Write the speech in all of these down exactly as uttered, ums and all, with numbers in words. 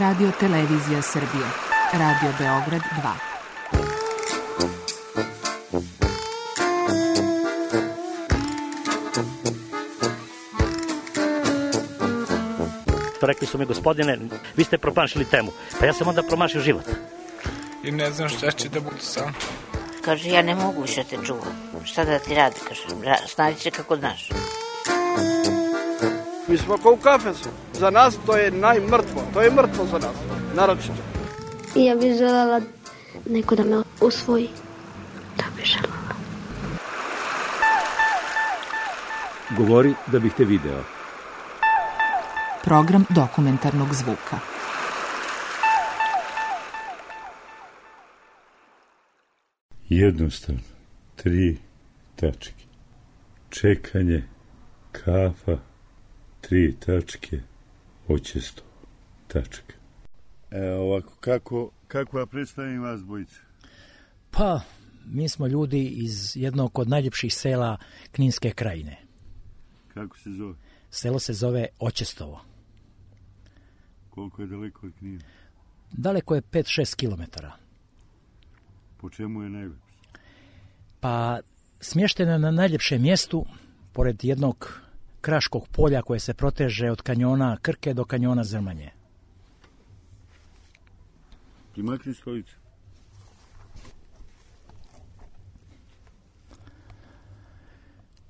Radio Televizija Srbije. Radio Beograd dva. Rekli su mi, gospodine, vi ste promašili temu. Pa ja sam onda promašio život. I ne znam šta će da budu sam. Kaže, ja ne mogu više te čuvam. Šta da ti radi, kaže, snađi se kako znaš. Mi smo kao u kafesu. Za nas to je najmrtvo. To je mrtvo za nas, naročito. I ja bih željela neko da me usvoji. Da bih željela. Govori da bih te video. Program dokumentarnog zvuka. Jednostavno, tri tačke. Čekanje, kafa, tri tačke, očesto, tačka. Evo ovako, kako, kako ja predstavim vas dvojice? Pa, mi smo ljudi iz jednog od najljepših sela Kninske krajine. Kako se zove? Selo se zove Očestovo. Koliko je daleko od Knina? Daleko je pet do šest kilometara. Po čemu je najljepše? Pa, smješteno je na najljepšem mjestu, pored jednog kraškog polja koje se proteže od kanjona Krke do kanjona Zrmanje. Primakni stolicu.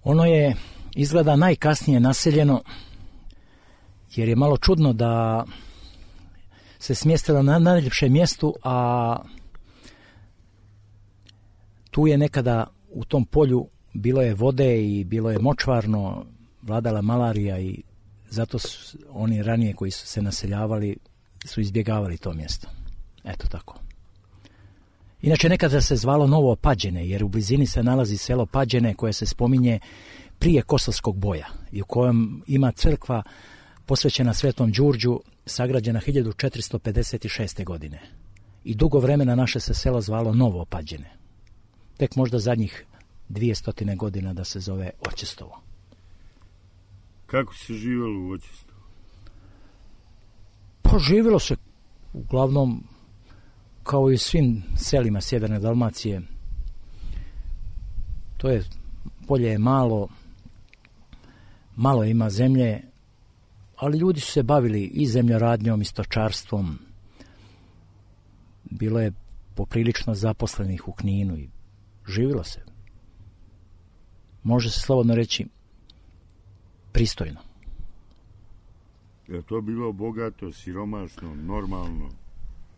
Ono je izgleda najkasnije naseljeno, jer je malo čudno da se smjestilo na najljepšem mjestu, a tu je nekada u tom polju bilo je vode i bilo je močvarno, vladala malarija i zato su oni ranije koji su se naseljavali su izbjegavali to mjesto. Eto tako. Inače nekada se zvalo Novo Pađene, jer u blizini se nalazi selo Pađene koje se spominje prije Kosovskog boja i u kojem ima crkva posvećena Svetom Đurđu, sagrađena hiljadu četiristo pedeset šeste. godine. I dugo vremena naše se selo zvalo Novo Pađene. Tek možda zadnjih dvjesto godina da se zove Očestovo. Kako se živjelo u Očestovu? Pa živjelo se uglavnom kao i u svim selima sjeverne Dalmacije. To je, polje je malo, malo ima zemlje, ali ljudi su se bavili i zemljoradnjom i stočarstvom. Bilo je poprilično zaposlenih u Kninu i živjelo se. Može se slobodno reći pristojno. Je to bilo bogato, siromašno, normalno?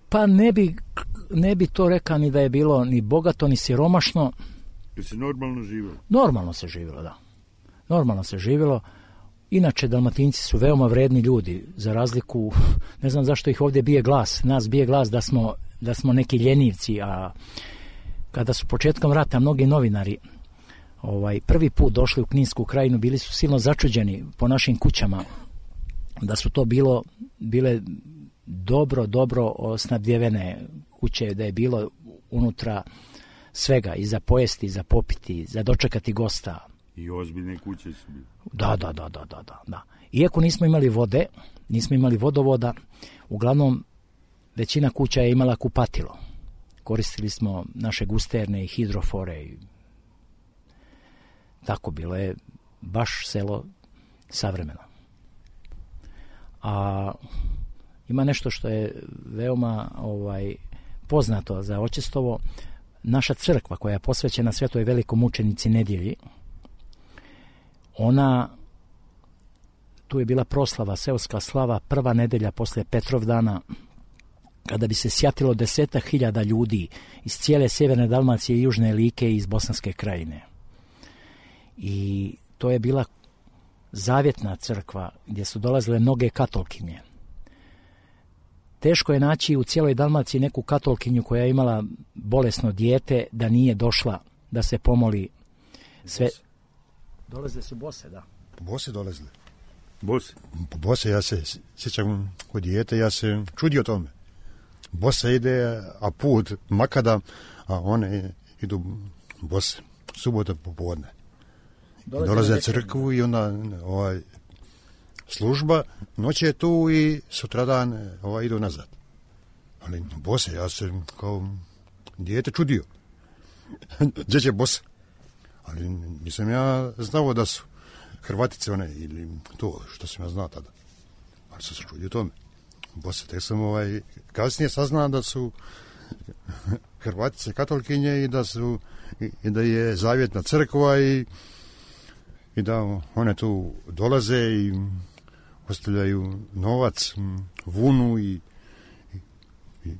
Pa ne bi, ne bi to rekao ni da je bilo ni bogato, ni siromašno. Je se normalno živjelo? Normalno se živjelo, da. Normalno se živjelo. Inače, Dalmatinci su veoma vredni ljudi, za razliku, ne znam zašto ih ovdje bije glas. Nas bije glas da smo, da smo neki ljenivci, a kada su početkom rata mnogi novinari ovaj, prvi put došli u Kninsku krajinu, bili su silno začuđeni po našim kućama, da su to bilo, bile dobro, dobro snabdjevene kuće, da je bilo unutra svega, i za pojesti, i za popiti, za dočekati gosta. I ozbiljne kuće su bile. Da, da, da, da, da, da. Iako nismo imali vode, nismo imali vodovoda, uglavnom većina kuća je imala kupatilo. Koristili smo naše gusterne i hidrofore i tako, bilo je baš selo savremeno. A ima nešto što je veoma ovaj, poznato za Očestovo. Naša crkva koja je posvećena Svetoj velikomučenici Nedjelji, ona, tu je bila proslava, seoska slava, prva nedelja poslije Petrovdana, kada bi se sjatilo desetak hiljada ljudi iz cijele sjeverne Dalmacije i južne Like i iz Bosanske krajine. I to je bila zavjetna crkva gdje su dolazile mnoge katolkinje. Teško je naći u cijeloj Dalmaciji neku katolkinju koja je imala bolesno dijete da nije došla da se pomoli. Sve... Dolazile su bose, da. Bose dolazile. Bose? Bose, ja se sjećam kod dijete, ja se čudio tome. Bosa ide, a put makada, a one idu bose. Subota popodne. Dolaze na crkvu i onda ovaj, služba, noć je tu i sutradan ovaj, idu nazad. Ali bose, ja se kao dijete čudio. Gdje će bose? Ali nisam ja znao da su Hrvatice one, ili to što sam ja znao tada. Ali sam se čudio tome. Bose, tek sam ovaj, kasnije saznao da su Hrvatice katolikinje i da su i, i da je zavjetna crkva i, i da one tu dolaze i ostavljaju novac, vunu i, i, i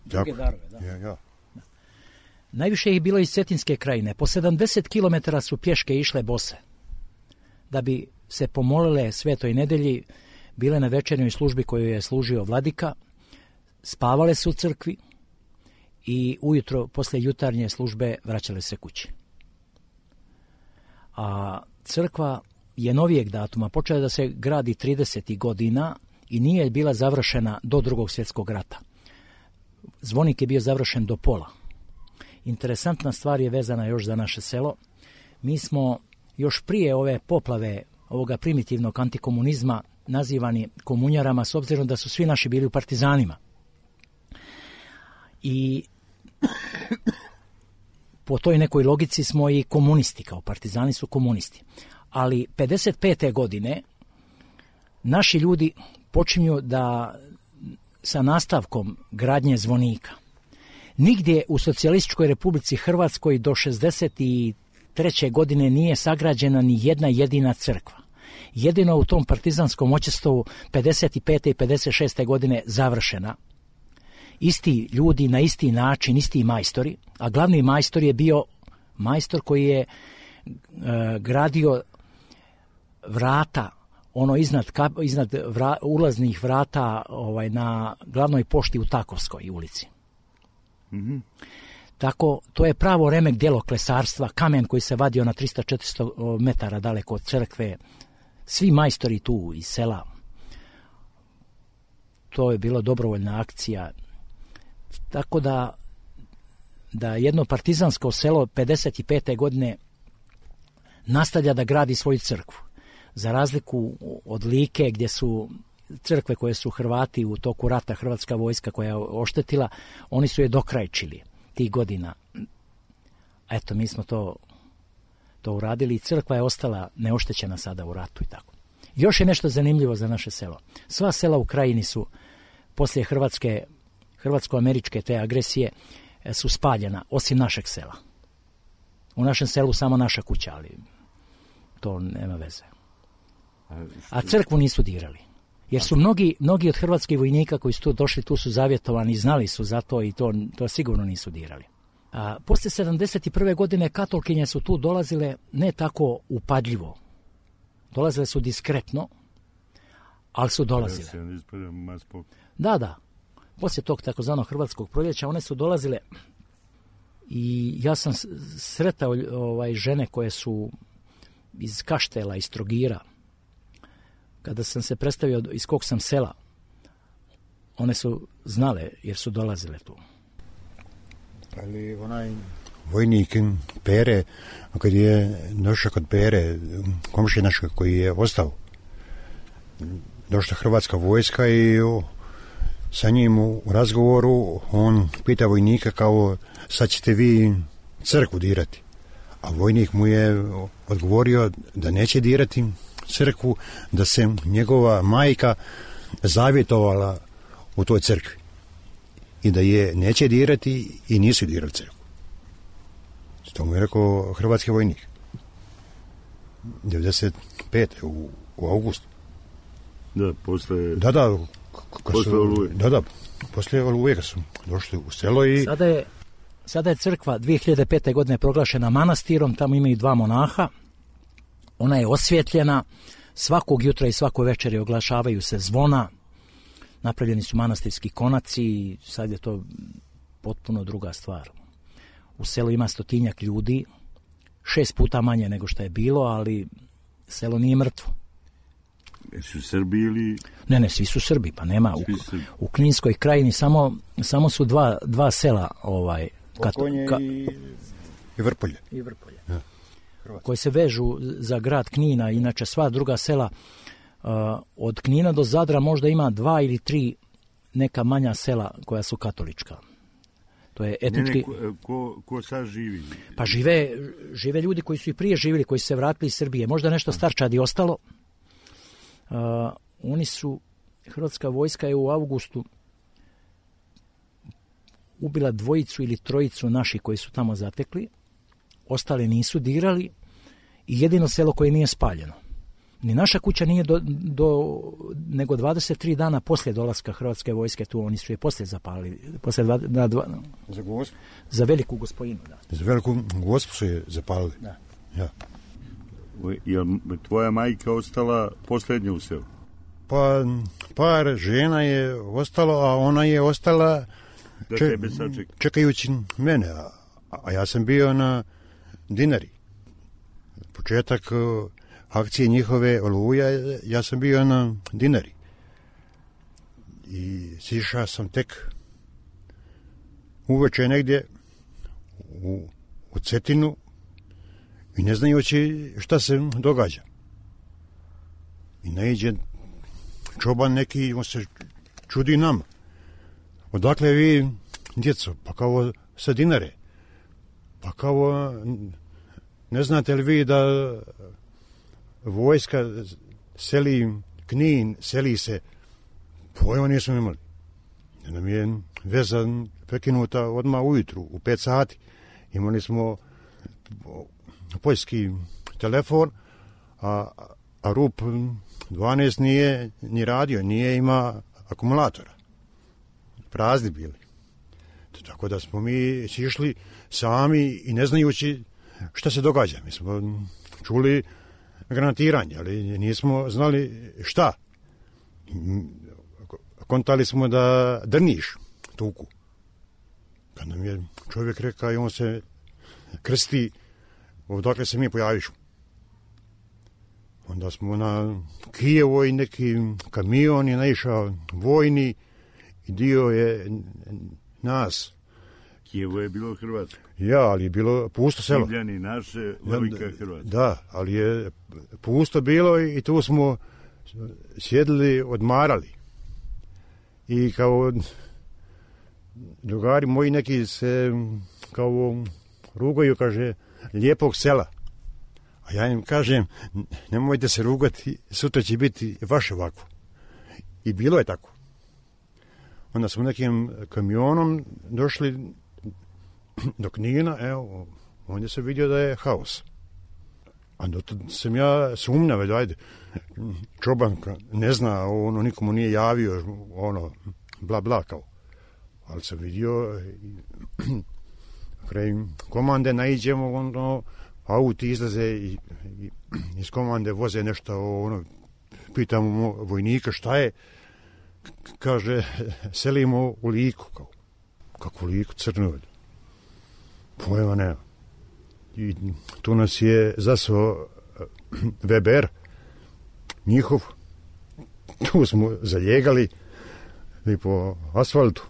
druge darove, da. Ja, ja. Da. Najviše ih bilo iz Cetinske krajine. Po sedamdeset kilometara su pješke išle bose da bi se pomolile Svetoj nedelji, bile na večernjoj službi koju je služio vladika, spavale su u crkvi i ujutro, posle jutarnje službe, vraćale se kući. A crkva je novijeg datuma, počela da se gradi tridesetih godina i nije bila završena do Drugog svjetskog rata. Zvonik je bio završen do pola. Interesantna stvar je vezana još za naše selo. Mi smo još prije ove poplave, ovoga primitivnog antikomunizma, nazivani komunjarama, s obzirom da su svi naši bili u partizanima. I po toj nekoj logici smo i komunisti, kao partizani su komunisti. Ali pedeset pete godine naši ljudi počinju da sa nastavkom gradnje zvonika. Nigdje u Socijalističkoj Republici Hrvatskoj do šezdeset treće godine nije sagrađena ni jedna jedina crkva. Jedino u tom partizanskom očestovu pedeset pete i pedeset šeste godine završena. Isti ljudi na isti način, isti majstori, a glavni majstor je bio majstor koji je e, gradio vrata, ono iznad, iznad vra, ulaznih vrata ovaj, na glavnoj pošti u Takovskoj ulici. Mm-hmm. Tako, to je pravo remek djelo klesarstva, kamen koji se vadio na trista do četiristo metara daleko od crkve, svi majstori tu iz sela. To je bila dobrovoljna akcija. Tako da, da jedno partizansko selo pedeset pete godine nastavlja da gradi svoju crkvu. Za razliku od Like, gdje su crkve koje su Hrvati u toku rata, hrvatska vojska koja je oštetila, oni su je dokrajčili tih godina. Eto, mi smo to, to uradili i crkva je ostala neoštećena sada u ratu i tako. Još je nešto zanimljivo za naše selo. Sva sela u krajini su poslije Hrvatske, hrvatsko-američke te agresije su spaljena, osim našeg sela. U našem selu samo naša kuća, ali to nema veze. A crkvu nisu dirali. Jer su mnogi, mnogi od hrvatskih vojnika koji su tu došli, tu su zavjetovani i znali su za to i to, to sigurno nisu dirali. A poslije sedamdeset prve godine katolkinje su tu dolazile ne tako upadljivo. Dolazile su diskretno, ali su dolazile. Da, da. Poslije tog takozvanog hrvatskog proljeća one su dolazile i ja sam sretao ovaj, žene koje su iz Kaštela, iz Trogira. Kada sam se predstavio iz kog sam sela, one su znale jer su dolazile tu. Ali onaj vojnik Pere, kad je došao kod Pere, komšije našeg koji je ostao, došla hrvatska vojska i o, sa njim u razgovoru on pita vojnika kao sad ćete vi crkvu dirati. A vojnik mu je odgovorio da neće dirati crkvu, da se njegova majka zavjetovala u toj crkvi i da je neće dirati i nisu dirali crkvu. To mu je rekao hrvatski vojnik. devedeset pete u, u augustu. Da, posle... Da, da. Posle Oluje. Da, da. Posle Oluje kad su došli u selo i... Sada je, sada je crkva dvije hiljade pete godine proglašena manastirom, tamo imaju dva monaha. Ona je osvjetljena, svakog jutra i svako večeri oglašavaju se zvona, napravljeni su manastirski konaci i sad je to potpuno druga stvar. U selu ima stotinjak ljudi, šest puta manje nego što je bilo, ali selo nije mrtvo. Su Srbi ili... Ne, ne, svi su Srbi, pa nema. U, u Kninskoj krajini samo, samo su dva, dva sela, ovaj, Pokonje ka, i, i Vrpolje. I Vrpolje. Ja. Koji se vežu za grad Knina, inače sva druga sela od Knina do Zadra možda ima dva ili tri neka manja sela koja su katolička. To je etnički... Ne, ne, ko, ko sad živi? Pa žive, žive ljudi koji su i prije živjeli, koji su se vratili iz Srbije. Možda nešto starčadi ostalo. Uh, oni su, hrvatska vojska je u avgustu ubila dvojicu ili trojicu naših koji su tamo zatekli. Ostale nisu dirali i jedino selo koje nije spaljeno. Ni naša kuća nije do, do nego dvadeset tri dana poslije dolaska hrvatske vojske tu, oni su je poslije zapalili. Poslije dva, na dva, za gospu? Za Veliku Gospojinu, da. Za Veliku Gospu su je zapalili? Da. Ja. Je tvoja majka ostala posljednja u selu? Pa par žena je ostalo, a ona je ostala da če, tebe sačeka. Čekajući mene, a, a ja sam bio na Dinari. Početak akcije njihove Oluja, ja sam bio na Dinari. I sišao sam tek uveče negdje u, u Cetinu i ne znajući šta se događa. I naiđe čoban neki, on se čudi nama. Odakle vi, djeco? Pa kao sa Dinare. Pa kao, ne znate li vi da vojska seli Knin, seli se, pojma nismo imali. Nam je veza prekinuta odmah ujutru, u pet sati. Imali smo poljski telefon, a, a R U P dvanaest nije ni radio, nije ima akumulatora. Prazni bili. Tako da smo mi išli sami i ne znajući šta se događa. Mi smo čuli granatiranje, ali nismo znali šta. Kontali smo da Drniš tuku. Kad nam je čovjek rekao i on se krsti, odakle se mi pojaviš. Onda smo na Kijevoj neki kamion je naišao vojni i dio je nas. Kijevo je bilo Hrvatsko. Ja, ali je bilo pusto selo. Divljani naše, velika Hrvatska. Da, ali je pusto bilo i tu smo sjedili, odmarali. I kao drugari moji neki se kao rugaju, kaže, lijepog sela. A ja im kažem, nemojte se rugati, sutra će biti vaše ovako. I bilo je tako. Onda smo nekim kamionom došli do Knina, evo, onda se vidio da je haos. A dotad sam ja sumnjao, ajde, čoban ne zna, ono, nikomu nije javio, ono, bla, bla, kao. Ali sam vidio, kraj komande naiđemo, ono, auti izlaze i, i iz komande voze nešto, ono, pitamo vojnika šta je, kaže, selimo u Liku, kao. Kako Liku, Crnovolju? Pojma nema. I tu nas je zasao Weber, njihov. Tu smo zaljegali i po asfaltu.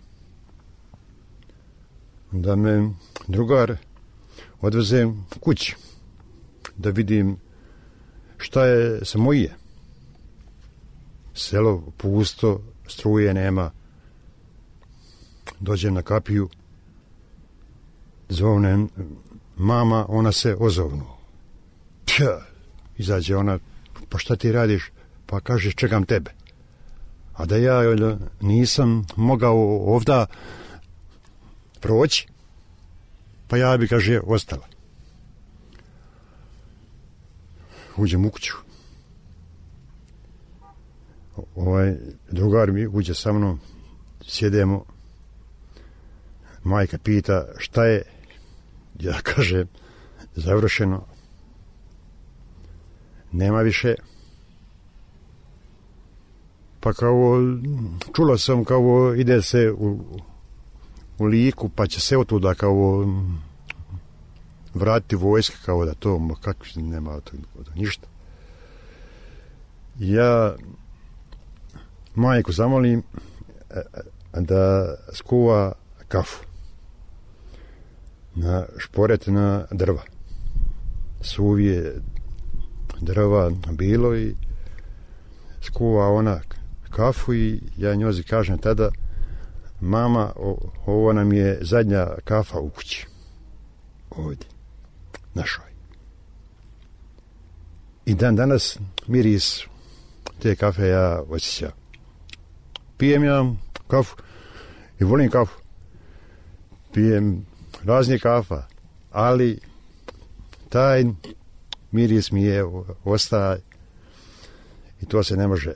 Da me drugar odveze kući, da vidim šta je sa moje. Selo pusto, struje nema. Dođem na kapiju, zovnem mama, ona se ozovnu. Pja, izađe ona, pa šta ti radiš? Pa kaže, čekam tebe. A da ja nisam mogao ovda proći, pa ja bi, kaže, ostala. Uđem u kuću. Ovaj drugar mi uđe sa mnom, sjedemo. Majka pita šta je, ja kažem, završeno. Nema više. Pa kao, čula sam kao ide se u, u Liku, pa će se otuda kao vratiti vojske, kao da to, ma kako nema to, ništa. Ja majku zamolim da skuva kafu na šporet na drva. Suvije drva bilo i skuva ona kafu i ja njozi kažem tada, mama, o, ovo nam je zadnja kafa u kući. Ovdje. Našoj. I dan danas miris te kafe ja osjećam. Pijem ja kafu i volim kafu. Pijem raznih kafa, ali taj miris mi je ostaje i to se ne može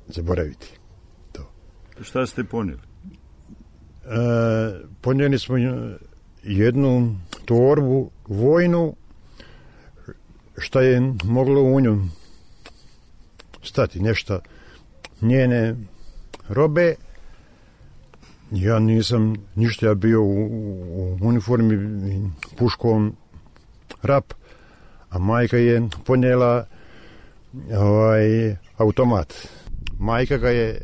zaboraviti. To. Šta ste ponijeli? E, ponijeli smo jednu torbu vojnu, šta je moglo u nju stati nešto njene robe. Ja nisam ništa, ja bio u, u uniformi, puškom, rap, a majka je ponijela ovaj, automat. Majka ga je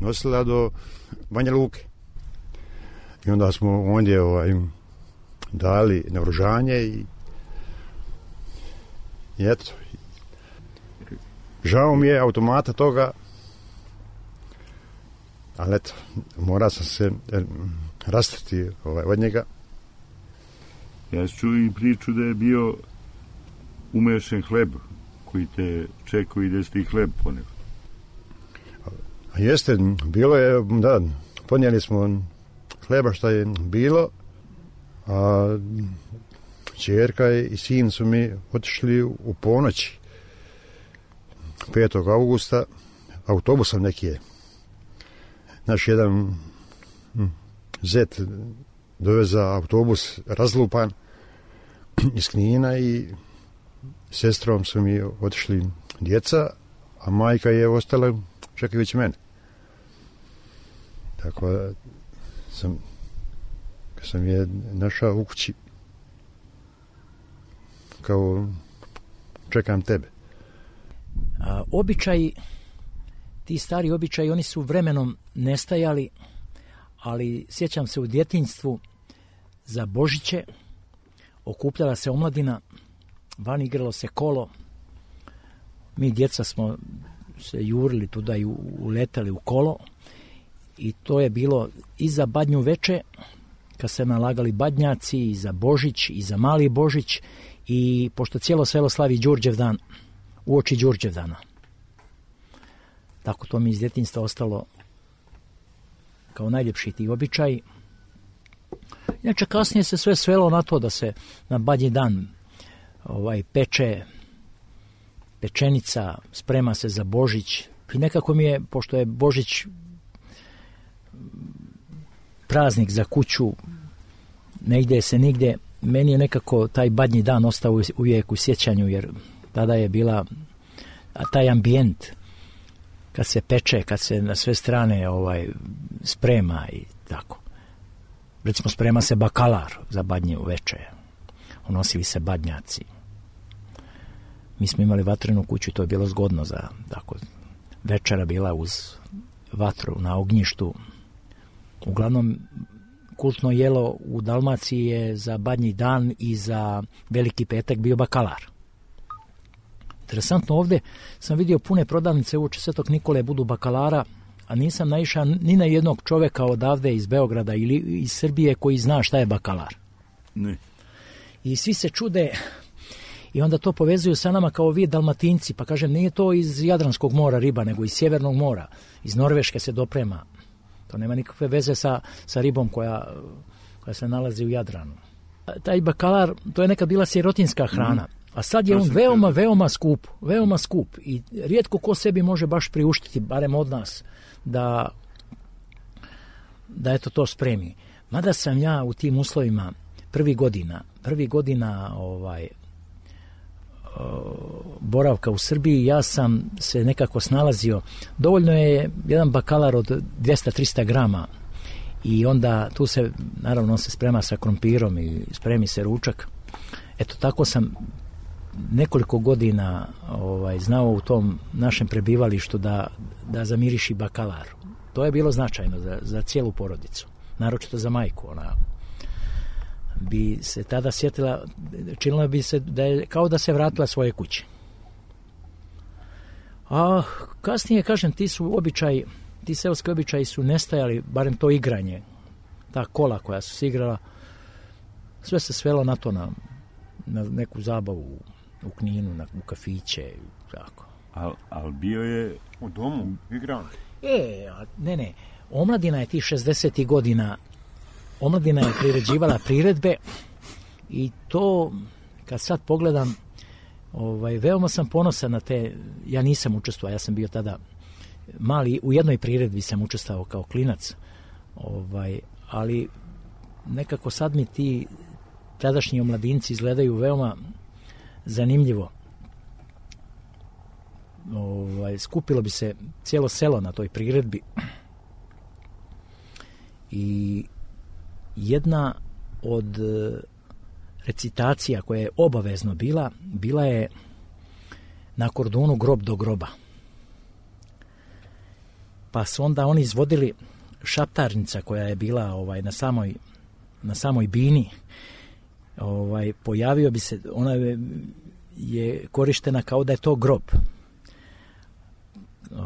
nosila do Banja Luke. I onda smo ondje ovaj, dali naoružanje i, i eto. Žao mi je automata toga, ali eto, mora sam se rastati ovaj, od njega. Ja čuo i priču da je bio umešen hleb koji te čekao i da ste i hleb poneli. A jeste, bilo je, da, ponijeli smo hleba šta je bilo, a ćerka i sin su mi otišli u ponoći petog augusta autobusom neki je. Naš jedan zet doveza autobus razlupan iz Knina i sestrom su mi otišli djeca, a majka je ostala čekajući mene. Tako da sam, kad sam je našao u kući, kao čekam tebe. A, običaji, ti stari običaji, oni su vremenom nestajali, ali sjećam se u djetinjstvu za Božiće okupljala se omladina, van igralo se kolo, mi djeca smo se jurili tuda i uletali u kolo i to je bilo i za Badnju veče, kad se nalagali badnjaci, i za Božić, i za Mali Božić, i pošto cijelo selo slavi Đurđev dan, uoči Đurđev dana. Tako to mi iz djetinjstva ostalo kao najljepši ti običaj. Inače, kasnije se sve svelo na to da se na Badnji dan ovaj, peče pečenica, sprema se za Božić. I nekako mi je, pošto je Božić praznik za kuću, ne ide se nigdje, meni je nekako taj Badnji dan ostao uvijek u sjećanju, jer tada je bila taj ambijent kad se peče, kad se na sve strane ovaj, sprema i tako. Recimo, sprema se bakalar za Badnju veče, unosili se badnjaci. Mi smo imali vatrenu kuću i to je bilo zgodno za tako. Večera bila uz vatru na ognjištu. Uglavnom, kultno jelo u Dalmaciji je za Badnji dan i za Veliki petak bio bakalar. Interesantno, ovdje sam vidio pune prodavnice uoči Svetog Nikole budu bakalara, a nisam naišao ni na jednog čovjeka odavde iz Beograda ili iz Srbije koji zna šta je bakalar. Ne. I svi se čude i onda to povezuju sa nama kao vi Dalmatinci, pa kažem, nije to iz Jadranskog mora riba, nego iz Sjevernog mora, iz Norveške se doprema. To nema nikakve veze sa, sa ribom koja, koja se nalazi u Jadranu. Taj bakalar, to je nekad bila sirotinska hrana, a sad je on veoma, veoma skup, veoma skup i rijetko ko sebi može baš priuštiti, barem od nas, da, da eto to spremi. Mada sam ja u tim uslovima prvi godina, prvi godina ovaj, boravka u Srbiji, ja sam se nekako snalazio. Dovoljno je jedan bakalar od dvjesto do trista grama i onda tu se, naravno, on se sprema sa krompirom i spremi se ručak. Eto, tako sam nekoliko godina ovaj, znao u tom našem prebivalištu da, da zamiriši bakalar. To je bilo značajno za, za cijelu porodicu, naročito za majku. Ona bi se tada sjetila, činilo bi se da je kao da se vratila svoje kuće. A kasnije, kažem, ti su običaji, ti seoski običaji su nestajali, barem to igranje, ta kola koja su se igrala, sve se svelo na to, na, na neku zabavu u Kninu, na, u kafiće, tako. Al, al bio je u domu igran. E, ne, ne, omladina je tih šezdesetih godina, omladina je priređivala priredbe i to, kad sad pogledam, ovaj, veoma sam ponosan na te, ja nisam učestvovao, ja sam bio tada mali, u jednoj priredbi sam učestvovao kao klinac, ovaj, ali nekako sad mi ti tadašnji omladinci izgledaju veoma zanimljivo. Ovaj, skupilo bi se cijelo selo na toj priredbi i jedna od recitacija koja je obavezno bila, bila je na kordonu Grob do groba. Pa su onda oni izvodili šaptarnica koja je bila ovaj, na samoj na samoj bini. Ovaj, pojavio bi se, ona je, je korištena kao da je to grob. Uh,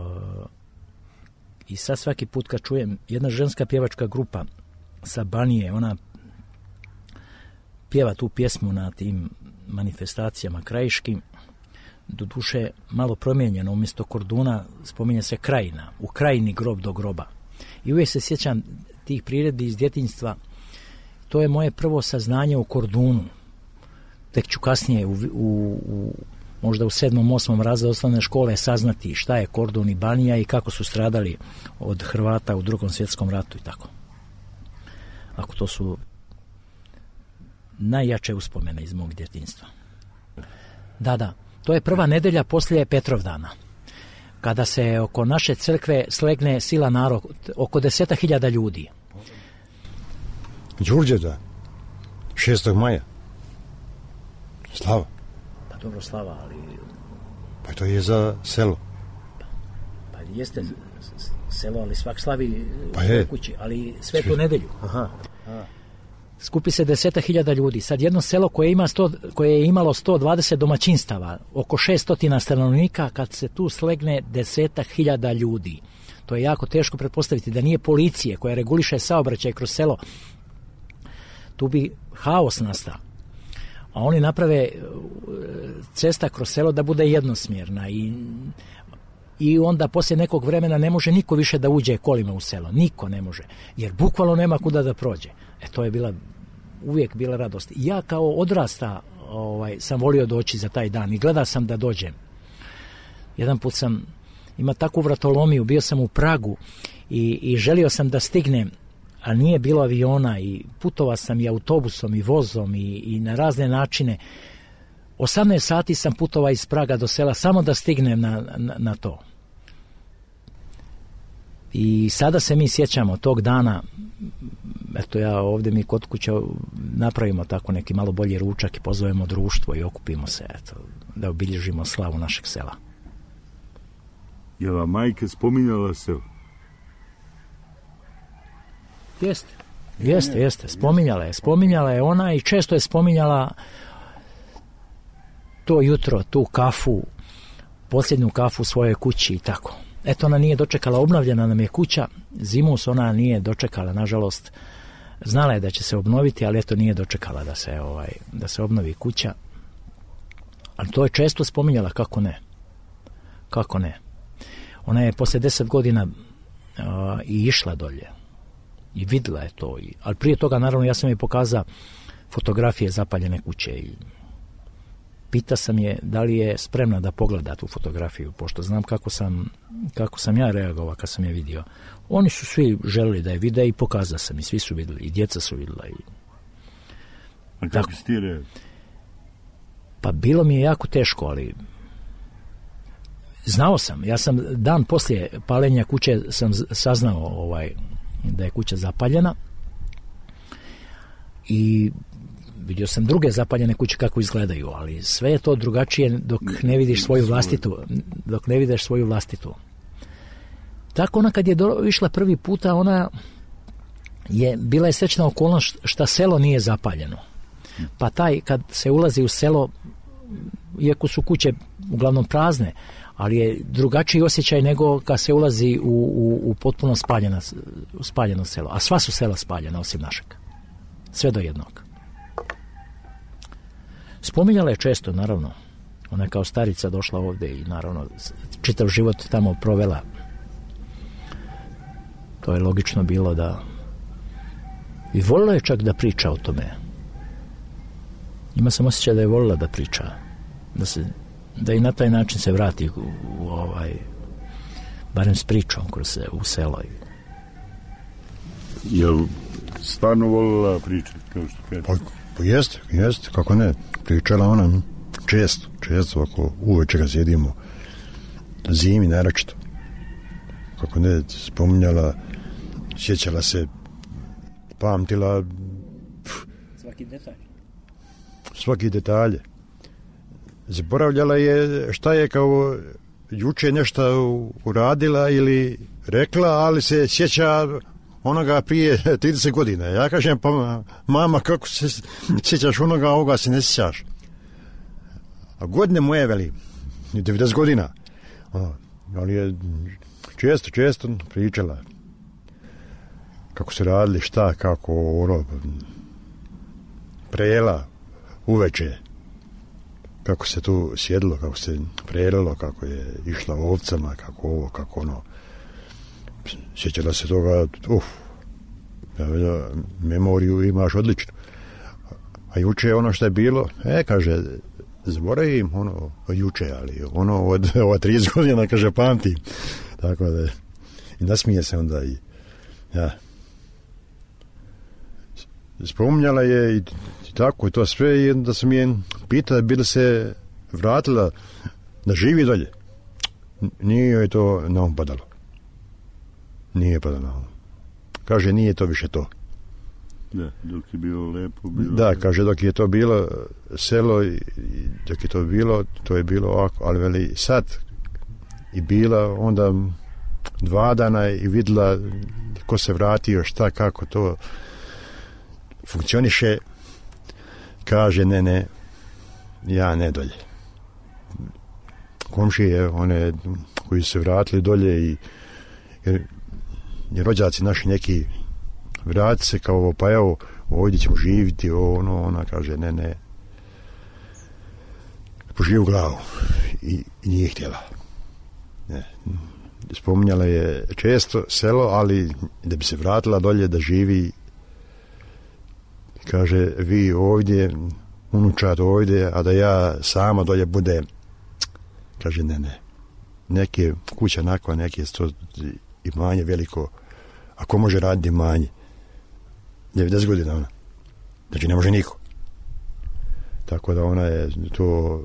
I sad svaki put kad čujem jedna ženska pjevačka grupa sa Banije, ona pjeva tu pjesmu na tim manifestacijama krajiškim, doduše malo promijenjeno, umjesto korduna spominje se krajina, u krajini Grob do groba. I uvijek se sjećam tih priredbi iz djetinjstva, to je moje prvo saznanje o kordunu. Tek ću kasnije u, u, u možda u sedmom, osmom razredu osnovne škole saznati šta je kordun i Banija i kako su stradali od Hrvata u Drugom svjetskom ratu i tako. Ako to su najjače uspomene iz mog djetinjstva. Da, da, to je prva nedelja poslije Petrovdana, kada se oko naše crkve slegne sila narod, oko deseta hiljada ljudi. Đurđevdan, šestog maja. Slava. Pa dobro, slava, ali... Pa to je za selo. Pa, pa jeste selo, ali svak slavi pa u svojoj kući, ali svetu Svi... nedelju. Aha. Aha. Skupi se deseta hiljada ljudi. Sad jedno selo koje, ima sto, koje je imalo sto dvadeset domaćinstava, oko šeststotina stanovnika, kad se tu slegne deseta hiljada ljudi. To je jako teško pretpostaviti da nije policije koja reguliše saobraćaj kroz selo. Tu bi haos nastao. A oni naprave cesta kroz selo da bude jednosmjerna i, i onda poslije nekog vremena ne može niko više da uđe kolima u selo. Niko ne može, jer bukvalno nema kuda da prođe. E to je bila, uvijek bila radost. Ja kao odrasta ovaj, sam volio doći za taj dan i gledao sam da dođem. Jedan put sam imao takvu vratolomiju, bio sam u Pragu i, i želio sam da stignem, a nije bilo aviona i putovao sam i autobusom i vozom i, i na razne načine. osamnaest sati sam putovao iz Praga do sela samo da stignem na, na, na to. I sada se mi sjećamo tog dana, eto ja ovdje mi kod kuće napravimo tako neki malo bolji ručak i pozovemo društvo i okupimo se, eto, da obilježimo slavu našeg sela. Je li majka spominjala selo? Jeste, jeste, jeste, spominjala je, spominjala je ona i često je spominjala to jutro, tu kafu, posljednju kafu u svojoj kući i tako. Eto, ona nije dočekala, obnovljena nam je kuća, zimus ona nije dočekala, nažalost, znala je da će se obnoviti, ali eto nije dočekala da se, ovaj, da se obnovi kuća. Ali to je često spominjala, kako ne, kako ne. Ona je poslije deset godina uh, i išla dolje. I vidjela je to. I, ali prije toga, naravno, ja sam joj pokazao fotografije zapaljene kuće i pita sam je da li je spremna da pogleda tu fotografiju, pošto znam kako sam, kako sam ja reagovao kad sam je vidio. Oni su svi želeli da je vide i pokazao sam i svi su vidjeli, i djeca su vidjela. I... A kako si ti reagovao? Pa bilo mi je jako teško, ali znao sam. Ja sam dan poslije paljenja kuće sam saznao ovaj, da je kuća zapaljena i vidio sam druge zapaljene kuće kako izgledaju, ali sve je to drugačije dok ne vidiš svoju vlastitu, dok ne vidiš svoju vlastitu. Tako ona kad je do, išla prvi puta, ona je bila je srećna okolnost šta selo nije zapaljeno. Pa taj kad se ulazi u selo, iako su kuće uglavnom prazne, ali je drugačiji osjećaj nego kad se ulazi u, u, u potpuno spaljena, spaljeno selo. A sva su sela spaljena osim našeg. Sve do jednog. Spominjala je često, naravno. Ona je kao starica došla ovdje i naravno čitav život tamo provela. To je logično bilo da... I volila je čak da priča o tome. Ima sam osjećaj da je volila da priča. Da se, da i na taj način se vrati u, u ovaj... barem s pričom kroz se u selo. Jel stvarno volila pričati, kao što kaže? Pa, pa jeste, jeste, kako ne. Pričala ona često, često, ako uveče ga sjedimo, zimi naročito. Kako ne, spominjala, sjećala se, pamtila svaki detalj. Svaki detalje. Zaboravljala je šta je kao juče nešto uradila ili rekla, ali se sjeća onoga prije trideset godina. Ja kažem, pa mama, kako se sjećaš onoga, ovoga se ne sjećaš. A godine moje, veli, devedeset godina. A, ali je često, često pričala kako se radili, šta, kako ono, prejela uveče, kako se tu sjedilo, kako se prejelilo, kako je išla ovcama, kako ovo, kako ono. Sjećala se toga, uf, ja, memoriju imaš odlično. A juče ono što je bilo, e, kaže, zaboravim ono juče, ali ono od, od trideset godina, kaže, pamtim. Tako da, i nasmije se onda i, ja. Spominjala je i, i tako, i to sve, i da sam je pitala, bi li se vratila da živi dolje. Nije joj to na um padalo. Nije padalo na um. Kaže, nije to više to. Da, dok je bilo lepo. Bilo... Da, kaže, dok je to bilo selo, i dok je to bilo, to je bilo ovako, ali veli sad i bila onda dva dana i vidjela ko se vratio, šta, kako to funkcioniše. Kaže, ne, ne, ja ne dolje. Komšije, one koji su se vratili dolje i jer, jer rođaci naši neki vrati se kao, pa evo, ovdje ćemo živjeti, ono, ona kaže, ne, ne, poživi u glavu i, i nije htjela. Ne. Spominjala je često selo, ali da bi se vratila dolje da živi, kaže, vi ovdje, unučat ovdje, a da ja sama dolje bude, kaže, ne, ne. Neke kuća nakva, neke sto imanje veliko, ako može raditi imanje. devedeset godina ona. Znači ne može niko. Tako da ona je to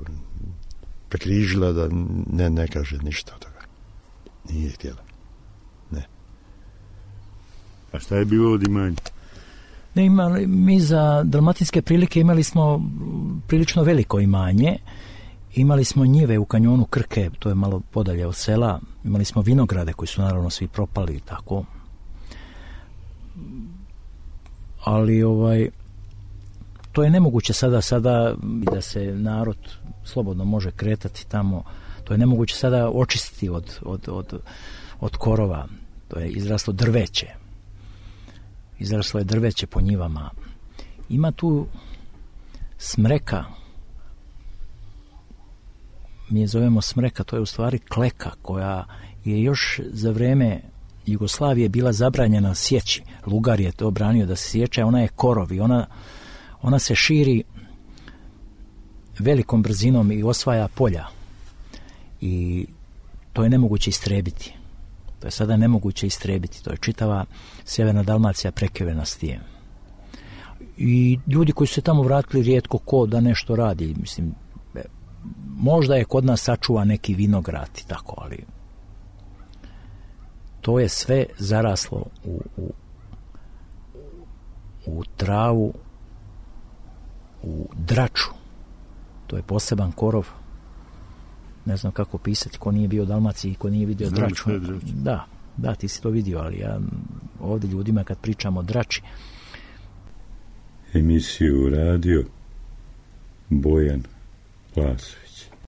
prekrižila da ne, ne kaže ništa od toga. Nije htjela. Ne. A šta je bilo od imanja? Ne, imali, mi za dalmatinske prilike imali smo prilično veliko imanje. Imali smo njive u kanjonu Krke, to je malo podalje od sela. Imali smo vinograde koji su naravno svi propali i tako. Ali ovaj to je nemoguće sada sada da se narod slobodno može kretati tamo. To je nemoguće sada očistiti od, od, od, od korova. To je izraslo drveće. Izraslo je drveće po njivama. Ima tu smreka. Mi je zovemo smreka, to je u stvari kleka koja je još za vrijeme Jugoslavije bila zabranjena sjeći. Lugar je to branio da se sjeća, ona je korov i ona, ona se širi velikom brzinom i osvaja polja. I to je nemoguće istrebiti. To je sada nemoguće istrebiti. To je čitava sjeverna Dalmacija prekrivena s tim. I ljudi koji su se tamo vratili rijetko ko da nešto radi. Mislim, možda je kod nas sačuva neki vinograd i tako, ali to je sve zaraslo u, u, u travu, u draču. To je poseban korov. Ne znam kako pisati, ko nije bio u Dalmaciji, ko nije vidio Znam draču. draču. Da, da, ti si to vidio, ali ja ovdje ljudima kad pričamo o drači. Emisiju radio Bojan Vlasović.